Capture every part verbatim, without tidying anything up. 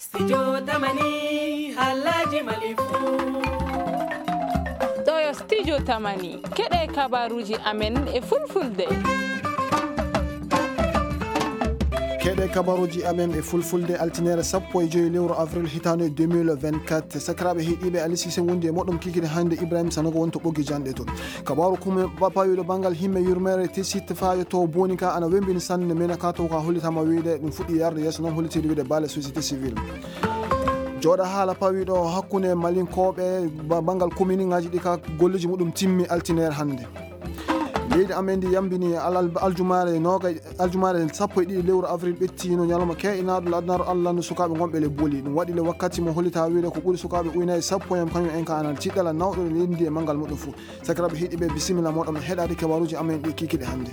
Studio Tamani, haalaaji Mali fuu. Ɗo yo Studio Tamani, keɗe kabaruuji amen e fulfulde. Keɗe kabaruuji amen e fulfulde, altine sappo e joy lewru avril hitaande deux mille vingt-quatre. Sakiraaɓe heɗiiɓe, Ali Sise wondi e moɗon kikiɗe hannde, Ibrahim Sanogo woni to ɓoggi janɗe to. Kabaru kume ba-, pawiɗo banngal himme yurmeere Tessit faa yotto Boni ka ana wembini sanne, mena ka to ka hollitama wiide ɗum fuɗɗi yarde yeeso, noon hollitiri wiide baale société civile. Jooɗa haala pawiɗo hakkunde Malinkooɓe ba-, banngal kominiŋaaji ɗi ka golleeji muɗum timmi altine hannde. Leydi amen ndi yambini al-, al-, aljumaare noogay, aljumaare sappo e ɗiɗi lewru avril ɓettino ñalawma keeɗinaaɗo le adunaaru Allah no sukaaɓe ngonɓe le Boni. Ɗum waɗi le wakkati mo hollita wiide ko ɓuri sukaaɓe ujunaaji sappo en kañum en ka ana tiɗɗala nawɗo le leydi ndi e manngal muɗum fuu. Sakiraaɓe heɗiiɓe, bisimilla mooɗon heɗaade kabaruuji amen ɗi kikiɗe hannde.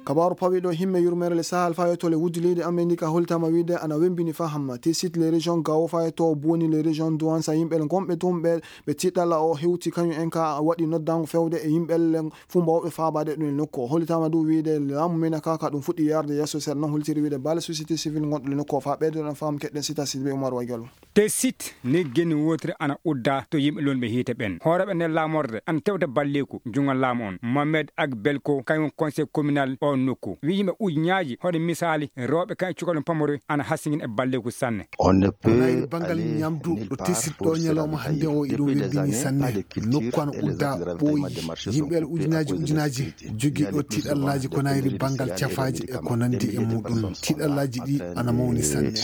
Kabaaru pawiɗo himme yurmeere le Sahel faa yotto le wuddi leydi amen ndi ka hollitama wiide ana wembini faa hamma. Tessit le région Gao faa yotto Boni le région Douentza, yimɓe le ngonɓe toon ɓe, ɓe tiɗɗala o hewti kañum en ka waɗi noddaango fewde e yimɓe le fuu mbawɓe faabaade ɗum e nokku o. Hollitama du wiide laamu men ka, ka ɗum fuɗɗi yarde yeeso seeɗa, noon hollitiri wiide baale société civile ngonɗo le nokku o. Faa ɓeydoɗen faamu keɗɗen Sita Sidibé Umar Waygalu. Tessit ni genni wootere ana udda to yimɓe lonɓe hiite ɓen. Hooreeɓe nder laamorde ana tewta balleeku junngo laamu on. Mohamed Ag Belko, kañum conseil communal o nokku, wi yimɓe ujuñaaji, hoɗe misaali rewɓe kañum cukalɓe pamare ana hasingin e balleeku sanne. Ko nayri banngal ñamdu ɗo Tessit ɗo ñalawma hannde o iɗum webbini sanne. Nokku ana udda ɓooyi. Yimɓe ujunaaji ujunaaji jogiiɗo tiiɗallaaji ko nayri banngal cafaaji e ko nanndi e muɗum. Tiiɗallaaji ɗi ana mawni sanne.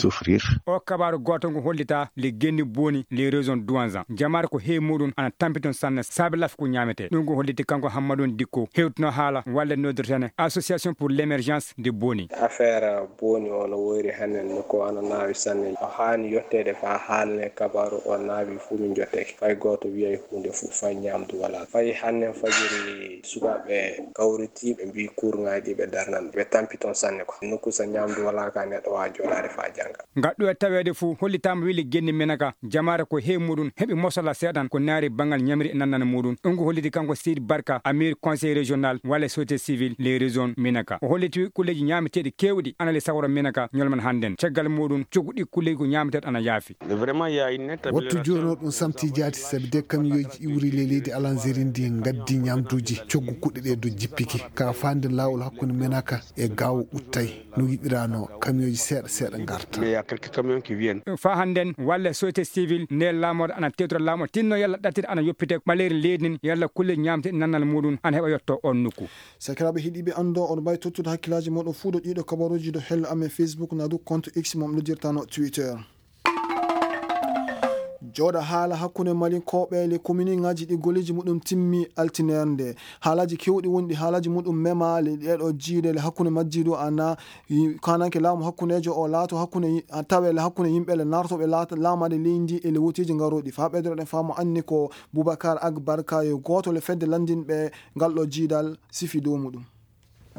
O kabaaru gooto ngu hollita le genni Boni le région Douentza. Jamaare ko heewi muɗum ana tampiton sanne saabe lafi ko ñaametee. Ɗum ko holliti kanko Hammadou Dikko, hewtino haala walle noddirtene Association pour l'émergence de Boni. Affaire Boni o no woyri hannen no ko ana naawi sanne. O haani yotteede faa haalne kabaaru o naawi fuu min jotteke. Fay gooto wiyay huunde fuu, fay ñaamdu walaa. Fay hannen fajiri sukaaɓe kawriti ɓe mbii kurŋaaji ɓe darnan. Ɓe tampi toon sanne ko. Nokku so ñaamdu walaa ka neɗɗo waa jooɗaade faa jannga. Ngaɗɗo e taweede fuu hollitaama weli genne Menaka, jamaare ko heewi muɗum heɓi mosala seeɗan ko naari banngal ñamri e nannana muɗum. Ɗum ko holliti kanko Seydi Barka, Amir Conseil Régional walla Société Civile les Régions Menaka. O holliti kulleeji ñaameteeɗi keewɗi ana le sawra Menaka ñolman hannden. Caggal muɗum, coggu ɗi kulleeji ko ñaameteeɗi ana yaafi. Vraiment, il y a une nette Wattu amélioration. Jooni o ɗum samti jaati, sabi de kamiyooji iwri le leydi Alanzeri ndi ngaddi ñaamduuji, coggu kuɗɗe ɗe do jippiki. Ka faande laawol hakkunde Menaka e Gaawo uttay. No yiɗiraano, kamiyooji seeɗa seeɗa ngarta. Mais il y a quelques camions qui viennent. Faa hannden, walle société civile, nde laamorde ana tewtora laamu, tinno yalla ɗattiri ana yoppite ɓaleeri leydi ndin, yalla kulle ñaamte nannal muɗum ana heɓa yotto on nokku. Sakiraaɓe heɗiiɓe, anndo on mbaawi tottude hakkillaaji mooɗon fuu do ɗiiɗo kabaruuji do hello amen Facebook na do compte X mo noddirtano Twitter. Jooɗa haala hakkunde Malinkooɓe le kominiŋaaji ɗi golleeji muɗum timmi altinere nde. Haalaaji keewɗi woni ɗi haalaaji muɗum mema le ɗeeɗo jiiɗe le hakkunde majji do ana, i-, kananke laamu hakkundeejo o laato hakkunde yi-, a tawe le hakkunde yimɓe le naartooɓe laata-, laamaade leydi e le woteeji ngarooɗi. Faa ɓeydoɗen faamu anni ko Boubacar Agbarka yo gooto le fedde lanndinɓe ngal ɗo jiidal sifi dow muɗum.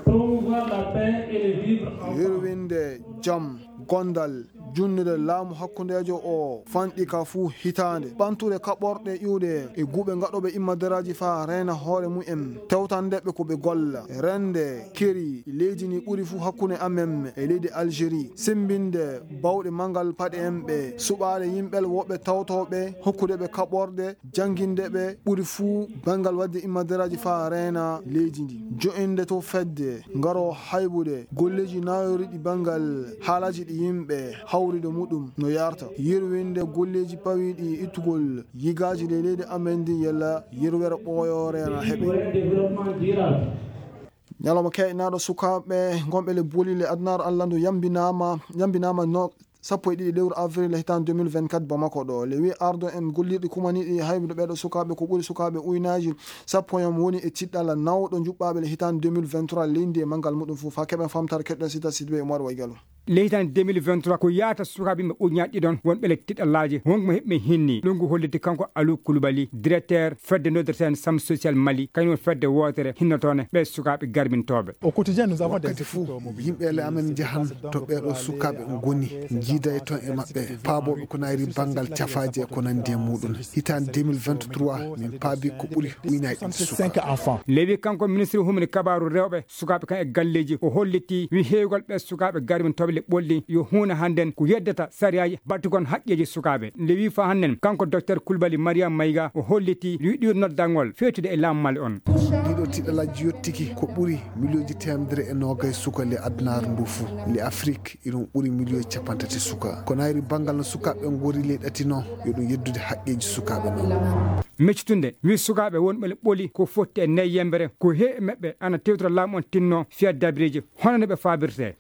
Promouvoir la paix et le vivre ensemble. Yurwinde jam, gondal, junnude laamu hakkundeejo o fanɗi ka fuu hitaande. Ɓantude kaɓorɗe iwɗe e guuɓe ngaɗooɓe immadaraaji faa reena hoore mumen. Tewtandeɓe ko ɓe golla. Rende, keri, leydi ni ɓuri fuu hakkunde amen e leydi Algérie. Sembinde bawɗe manngal paɗe en ɓe. Suɓaade yimɓe woɓɓe tawtooɓe, hokkude ɓe kaɓorɗe, jannginde ɓe ɓuri fuu banngal waɗde immadaraaji faa reena leydi ndi. Jo'inde to fedde, ngaro haybude golleeji naayoriɗi banngal haalaaji ɗi yimɓe hawrido muɗum no yarta. Yirwinde golleeji pawiiɗi ittugol yigaaji ɗe leydi amen ndi yalla yirwere ɓooyoore na heɓe. Ñalawma keeɗinaaɗo sukaaɓe ngonɓe le Boni le adunaaru Alla ndu yambinaama, yambinaama no sappo e ɗiɗi lewru avril hitaande deux mille vingt-quatre Bamako ɗo. Le wi ardo en gollirɗi kumaniiɗi haybude ɓeeɗo sukaaɓe ko ɓuri sukaaɓe uynaaji sappo en woni e tiɗɗala nawɗo njuɓɓaaɓe le hitaande deux mille vingt-trois leydi e manngal muɗum fof. Faa keɓen famtare keɗɗen sita Sidibé Umar Waygalu. Le hitaande deux mille vingt-trois ko yaata sukaaɓe yimɓe ujunnaaji ɗiɗon wonɓe le tiɗɗalaaji wonko mo heɓɓe hinni. Ɗum ko holliti kanko Aliou Coulibaly, directeur fedde noddirteende Sam Social Mali, kañum woni fedde wootere hinnotoonde ɓe sukaaɓe garbintooɓe. Au quotidien, nous avons des Wakkati fof, yimɓe ele amen njahan to ɓeeɗo sukaaɓe ngoni, njiida e toon e maɓɓe, paabooɓe ko nayri banngal cafaaji e ko nanndi e muɗum. Hitaande deux mille vingt-trois, min paabi ko ɓuri uynaaji ɗiɗi sukaaɓe. Lewi kanko ministre humni kabaaru rewɓe, sukaaɓe kan e galleeji, o holliti wi heewgol ɓe sukaaɓe garbintooɓe le ɓolli yo huunde hannden ko yeddata sariyaaji battugon haqqeeji sukaaɓe. Nde wii fa hannden, kanko Docteur Kulbali Mariam Mayga o hollitii wiɗɗude noddangol feetude e laamu Mali on. Ɗiɗo tiɗalaaji yottiki ko ɓuri miliyonji teemedere e noogay suka le adunaaru ndu fuu. Le Afrik iɗum ɓuri miliyon capanɗe tati suka. Ko nayri banngal no sukaaɓe ngori ley ɗatino yo ɗum yeddude haqqeeji sukaaɓe non. Meccitunde wi sukaaɓe wonɓe le ɓoli ko fotti e nayi yembere ko heewi maɓɓe ana tewtora laamu on tinno fiya dabireeji hono no ɓe faabirtee.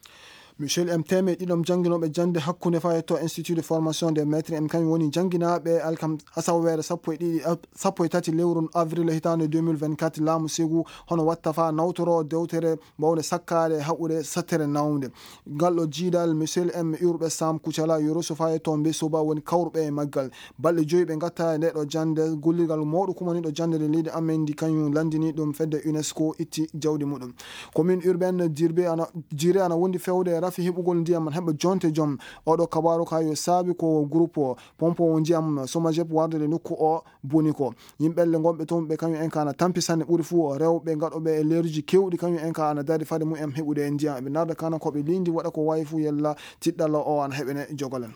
Michel M. Teme ɗiɗom jannginooɓe jannde hakkunde fayetto Institut de formation des maîtres M kañum woni jannginaaɓe alkam asaweere sappo e ɗiɗi sappo e tati lewru avril hitaande deux mille vingt-quatre laamu Segu hono watta fa nawtoro dewtere mbawnde sakkaade haɓude sattere nawnde. Ngal ɗo jiidal Michel M. Urɓe Sam Kucala yo resu fayetto mbe soba woni kawruɓe e maggal. Balɗe joyi ɓe ngatta e nde ɗo jannde gollirgal mawɗo kumaniiɗo jannde nde leydi amen ndi kañum lanndini ɗum fedde UNESCO itti jawdi muɗum. Commune urbaine Jirbe ana, Jire ana wondi fewde e rafi heɓugol ndiyam heɓa jonte jom. Oɗo kabaru ka yo saabi ko groupe pompe o ndiyam Somajep warde nde nokku o boni ko. Yimɓelle ngonɓe toon ɓe kañum en ka ana tampi sanne ɓuri fuu rewɓe gaɗoɓe e leeruji kewɗi kañum en ka ana dari fade mum en heɓude e ndiyam. Eɓe narda kana ko ɓe lindi waɗa ko wawi fuu yella tiɗɗalla o ana heɓene jogolen.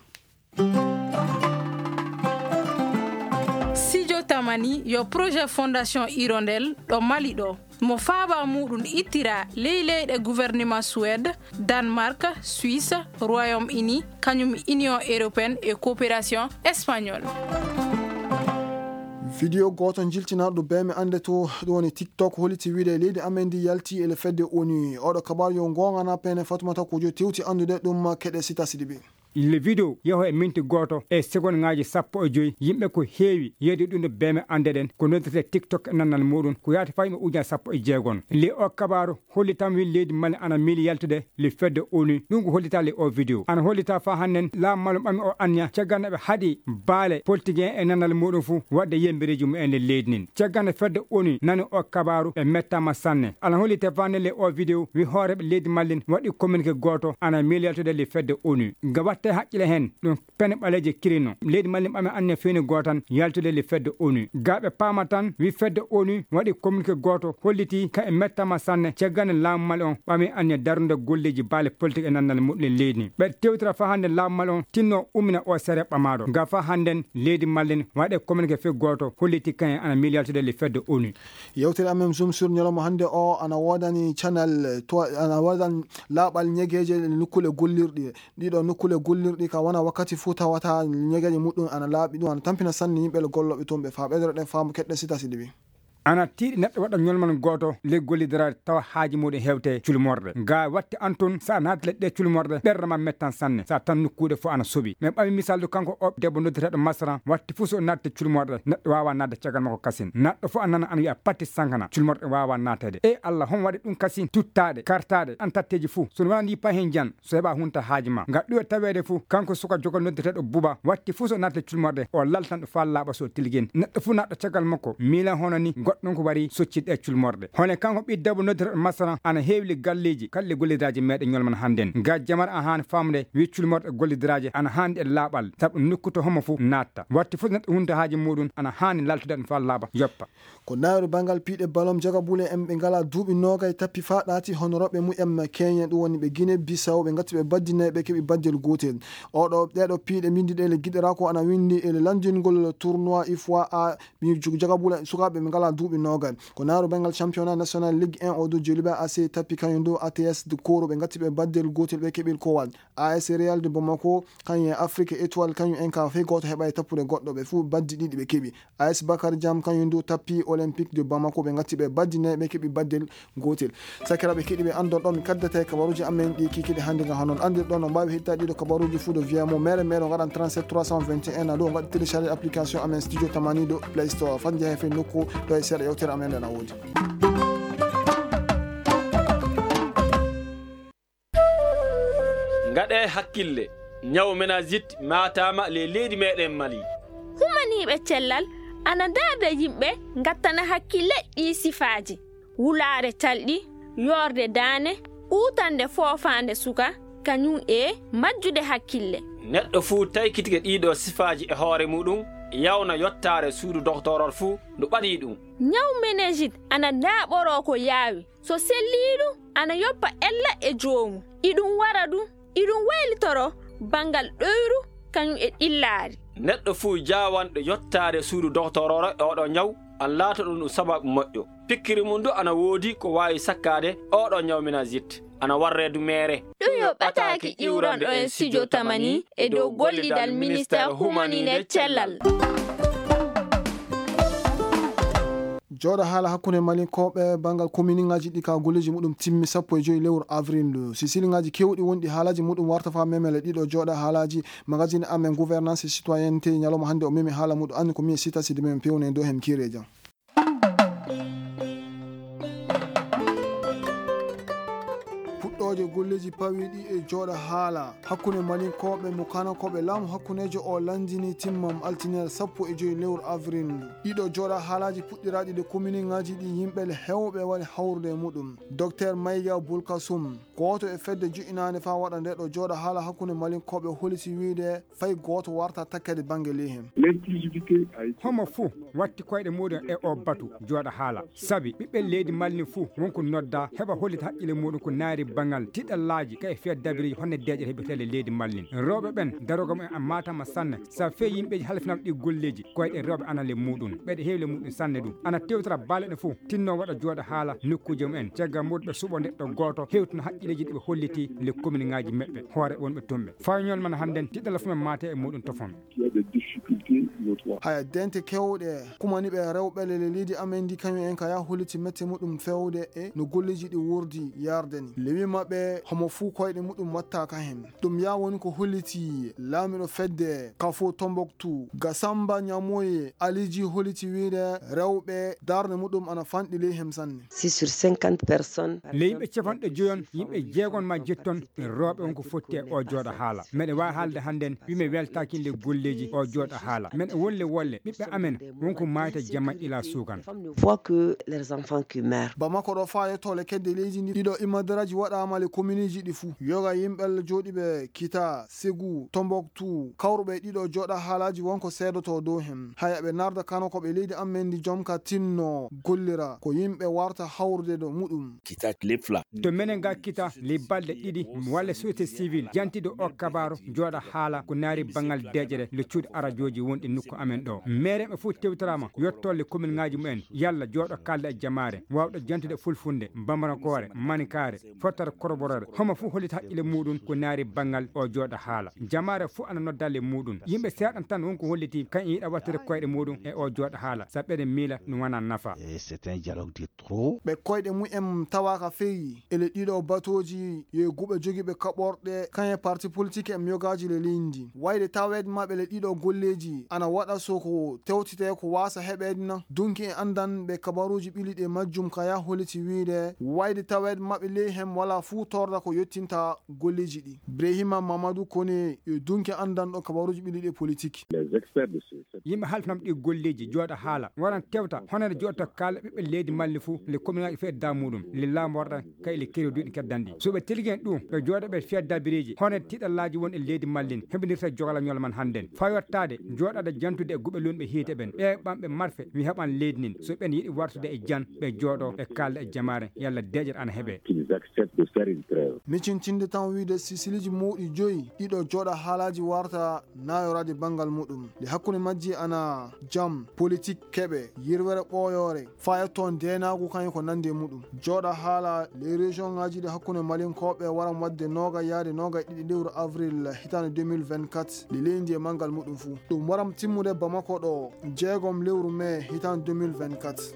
Sijo Tamani yo projet Fondation Hirondelle ɗo Mali ɗo. Mo faaba muɗum ittira ley leyɗe gouvernement Suède, Danemark, Suisse, Royaume-Uni, kañum Union Européenne e Coopération Espagnole. Vidéo gooto jiltinaaɗo bee mi annde to ɗum woni TikTok holliti wiide leydi amen ndi yalti e le fedde ONU. Oɗo kabaar yo ngoongana pene Fatoumata Kojo tewti anndude ɗum keɗe Sita Sidibe. Le video yaho e minti gooto e segondŋaaji sappo e joyi. Yimɓe ko heewi yeeyde ɗum ɗo beeme annde ɗen ko noddirtee TikTok e nannal muɗum ko yaata faa yimɓe ujunaaji sappo e jeegom. Le o kabaaru hollitam wi leydi Mali ana miili yaltude le fedde ONU. Ɗum ko hollitaa le o video. Ana hollita faa hannden laamu Mali ɓami o anniya caggal nde ɓe haɗi baale politique en e nannal muɗum fuu waɗde yembereeji mum en le leydi ndin. Caggal nde fedde ONU nani o kabaaru ɓe mettaama sanne. Ana hollite faa hannden le o video wi hooreeɓe leydi Mali ndin waɗi communiqué gooto ana miili yaltude le fedde ONU. Ga watte haqqile heen ɗum pene ɓaleeje kirino. Leydi Mali ɓame anniya feewni gooto tan yaltude le fedde ONU. Ga ɓe paama tan wi fedde ONU waɗi communiqué gooto holliti ka e mettaama sanne caggal nde laamu Mali on ɓami anniya darnude golleeji baale politique e nannal muɗum e leydi. Ɓe tewtira faa hannden laamu Mali on tinno ummina o sere ɓamaaɗo. Ga faa hannden leydi Mali ndin waɗe communiqué fii gooto holliti kañum ana miili yaltude le fedde ONU. Yewtere amen Zoom sur ñalawma hannde o ana woodani channel to ana woodani laaɓal ñegeeje nokkuule gollirɗe. Ɗiɗo nokkuule gollirɗi ka wona wakkati fuu tawata ñegeeje muɗum ana laaɓi, ɗum ana tampina sanne yimɓe le gollooɓe toon ɓe faa ɓeydoro ɗen faamu keɗɗe Sita Sidibe. Ana tiiɗi neɗɗo waɗa ñolmal gooto le gollidiraade tawa haaji muɗum hewte culmorɗe. Ga watti an tun so a naati le ɗe culmorɗe ɓerɗe ma mettan sanne so a tan nokkuuɗe fof ana soɓi. Mi ɓami misal ɗo kanko o debbo noddeteeɗo Masra watti fuu so o naatti culmorɗe neɗɗo waawa naatde caggal makko kasin. Neɗɗo fof a nana ana wiya patti sankana culmorɗe waawa naateede. E Allah hon waɗi ɗum kasin tuttaade kartaade an tatteeji fuu so wonani pa heen jan so heɓa hunta haaji ma. Ngal ɗuwe taweede fuu kanko suka jogo noddeteeɗo Buba watti fuu so naati le culmorɗe o laltan ɗo faa laaɓa so tilgin. Neɗɗo fuu naatɗo caggal makko miila hono ni goɗɗum ko wari soccitde e culmorɗe. Hono kanko ɓii debbo noddeteeɗo Masra ana heewi le galleeji kala le gollidaaji meeɗe ñolman hannden. Ga jamar a haani faamde wi culmorɗe gollidiraaje ana haani e laaɓal sabu nokku to homo fuu naatta. Watti fuu neɗɗo hunta haaji muɗum ana haani laltude ɗum faa laaɓa yoppa. Ko nayru banngal piiɗe balom jagabule en ɓe ngalaa duuɓi noogay tappi faa ɗaati honorooɓe mumen keñe ɗum woni ɓe Guinée Bissau ɓe ngatti ɓe baddi nayi ɓe keɓi baddel gootel. Oɗo ɗeɗo piiɗe mbindi ɗe le giɗɗora ko ana windi e le lanndingol tournoi ifoi a mi jagabule sukaaɓe ɓe ngalaa duuɓi noogay. Ko nayru banngal championnat national Ligue un o dow Joliba A C tappi kañum dow A T S de Koro ɓe ngatti ɓe baddel gootel ɓe keɓi kowal. A S Real de Bamako kañum e Afrique Étoile kañum en ka fey gooto heɓa e tappude goɗɗo ɓe fuu baddi ɗiɗi ɓe keɓi. A S Bakar Jam kañum du tappi Olympique de Bamako ɓe ngatti ɓe baddi nayi ɓe keɓi baddel gootel. Sakiraaɓe keɗiiɓe anndon ɗo mi kaddata e kabaruuji amen ɗi kikiɗe hannde nga hono andirɗon no mbaawi heɗitaade ɗiɗo kabaruuji fuu ɗo via mo mere mere o ngaɗan trente-sept trois cent vingt et un a ɗo ngaɗa télécharger application amen studio tamani ɗo Play Store fan jehe fey nokku ɗo e seeɗa yewtere amen nde na woodi. Ngaɗee hakkille, ñaw meningite maataama ley leydi meeɗen Mali. Humaniiɓe cellal ana ndaarda yimɓe ngattana hakkille ɗii sifaaji, wulaare calɗi, yoorde daane, uutande foofaande suka, kañum e majjude hakkille. Neɗɗo fuu taykitike ɗiiɗoo sifaaji e hoore muɗum, yawna yottaare suudu doktoorol fuu no ɓadii ɗum. Ñaw meningite ana ndaaɓoroo ko yaawi, so sellii ɗum ana yoppa ella e joomum. Iɗum wara ɗum Iɗum waylitoro banngal ɗoyru kañum e ɗillaari. Neɗɗo fuu jaawanɗo yottaade suudu doktorooro e oɗo ñaw, an laatoɗon ɗum sababu moƴƴo. Pikkiri mum du ana woodi ko waawi sakkaade oɗo ñaw meningite, ana warre du meere. Ɗum yo ɓataaki iwranɗo en studio tamani e dow gollidal ministeer humaninde cellal. Jooɗa haala hakkunde Malinkooɓe banngal kominiŋaaji ɗi ka golleeji muɗum timmi sappo e joy lewru avril ndu. Sisiliŋaaji keewɗi wonɗi haalaaji muɗum warta faa memele ɗiɗo jooɗa haalaaji. Magazine amen Gouvernance et Citoyenneté ñalawma hannde o memi haala muɗum anni ko miye sita sidi men pewne dow hem kiireeja. Puɗɗooje golleeji pawiiɗi e jooɗa haala hakkunde Malinkooɓe mo kanakooɓe laamu hakkundeejo o lanndini timmam altine sappo e joy lewru avril. Ɗiɗo jooɗa haalaaji puɗɗiraaɗi ɗe kominiŋaaji ɗi yimɓe heewɓe waɗi hawrude e muɗum. Docteur Mayga Bulkasum, gooto e fedde jo'inaande faa waɗa nde ɗo jooɗa haala hakkunde Malinkooɓe holiti wiide fay gooto warta takkede bannge ley heen. Homo fuu watti koyɗe muuɗum e oo batu jooɗa haala. Sabi ɓiɓɓe leydi Malin fuu won ko noddaa heɓa hollita haqqille muuɗum ko naari banngal tiɗallaaji ka e fiya dabiriiji honno deeƴere heɓirtee ley leydi Malin. Rewɓe ɓen darogol mumen ana maatama sanne. Sabi fee yimɓeeji halfinaaɓe ɗi golleeji koyɗe rewɓe ana ley muuɗum. Ɓeyɗe heewi ley muuɗum sanne ɗum. Ana tewtira baale ɗe fuu tinno waɗa jooɗa haala nokkuuje mumen. Caggal muuɗum ɓe suɓoo neɗɗo gooto hewtino haqqilleeji ɗi ɓe holliti ley kominiŋaaji maɓɓe hoore wonɓe tumɓe. Faa ñalawma hannden tiɗalla fuu men maate e muuɗum tofon. Haya dente kewɗe kumani ɓe rewɓe ley leydi amen ndi kañum en ka yaa holliti mette muɗum fewde e no golleeji ɗi wurdi yarde ni. Lewi maɓɓe homo fuu koyɗe muɗum watta ka heen. Ɗum yaa woni ko holliti laamiɗo fedde Kafo Tombouctou, Gasamba Ñamoye Aliji holliti wiide rewɓe darnde muɗum ana fanɗi ley hem sanne. Si sur cinquante personnes, ley yimɓe capanɗe joyon, yimɓe jeegon maa jetton rewɓe won ko fotti e o jooɗa haala. Meɗe waawi haalde hannden wi mi weltaaki nde golleeji o jooɗa haala. Meɗe wolle wolle ɓiɓɓe amen won ko maayta jamma ila suukan. Voit que leurs enfants qui meurent. Bamako ɗo faa yettoole kedde leydi ndi ɗiɗo imadaraaji waɗaama le kominiiji ɗi fuu. Yoga yimɓe jooɗiiɓe Kita, Segu, Tombouctou, kawruɓe ɗiɗo jooɗa haalaaji won ko seedotoo dow hem. Haya ɓe narda kano ko ɓe leydi amen ndi jom ka tinno gollira ko yimɓe warta hawrude ɗo muɗum. Kita Lefla. To menen ga Kita le balɗe ɗiɗi walla société civile jantiɗo o kabaaro jooɗa haala ko naari banngal deeƴere le cuuɗi arajooji wonɗi nokku amen ɗo. Meereeɓe fof tewtoraama yottolle kominŋaaji mumen yalla jooɗo kaalda e jamaare waawɗo jantude fulfulde, bambarankoore, maninkaare, fottata korborere. Homo fof hollita haqqille muuɗum ko naari banngal o jooɗa haala. Jamaare fof ana nodda le muuɗum. Yimɓe seeɗan tan won ko holliti kan yiɗa wattude koyɗe muuɗum e o jooɗa haala. Sabu eɗen miila no wona nafa. Et c'est un dialogue de trop. Ɓe koyɗe mumen tawa ka feewi. Ele ɗiɗo batooji yo guɓe jogiiɓe kaɓorɗe kañe parti politique en yogaaji le leydi. Wayde taweede maɓɓe le ɗiɗo golleeji ana waɗa so ko tewtete ko waasa heɓeede na. Dunki e anndan ɓe kabaruuji ɓiliɗi e majjum kaya holliti wiide wayde taweede maɓɓe ley hem wala fuu torda ko yottinta golleeji ɗi. Brehima Mamadou Kone yo dunki anndanɗo kabaruuji ɓiliɗi e politique. Les experts de ce Yimɓe halfinam ɗi golleeji jooɗa haala waran tewta honande jooɗta kaala ɓiɓɓe leydi malli fuu le kominaaji feeɗa muɗum le laamu warɗa kay le keri duuɗi keddanɗi. So ɓe tilgen ɗum ɓe jooɗa ɓe fiya dabireeji honande tiɗallaaji won e leydi mallin heɓindirta jogalañol man hannden. Faa yottaade jooɗaade jantude e guɓe lunɓe hiite ɓen ɓe ɓamɓe marfe mi heɓan leydi nin so ɓen yiɗi wartude e jan ɓe jooɗo ɓe kaalda e jamaare yalla deeƴere ana heɓe. Qu'ils acceptent de faire une trêve. Micintinde tan wiide sisiliiji mawɗi joyi ɗiɗo jooɗa haalaaji warta naayoraade banngal muɗum. Nde hakkunde majji ana jam, politik, keɓe, yirwere ɓooyoore, fayetto ndeenaagu kañum ko nandi e muɗum. Jooɗa haala les région ŋaaji ɗi hakkunde Malinkooɓe waran waɗde noogay yaade noogay ɗiɗi lewru avril hitaande deux mille vingt-quatre, nde leydi e manngal muɗum fuu. Ɗum waran timmude Bamako ɗo jeegom lewru mee hitaande deux mille vingt-quatre.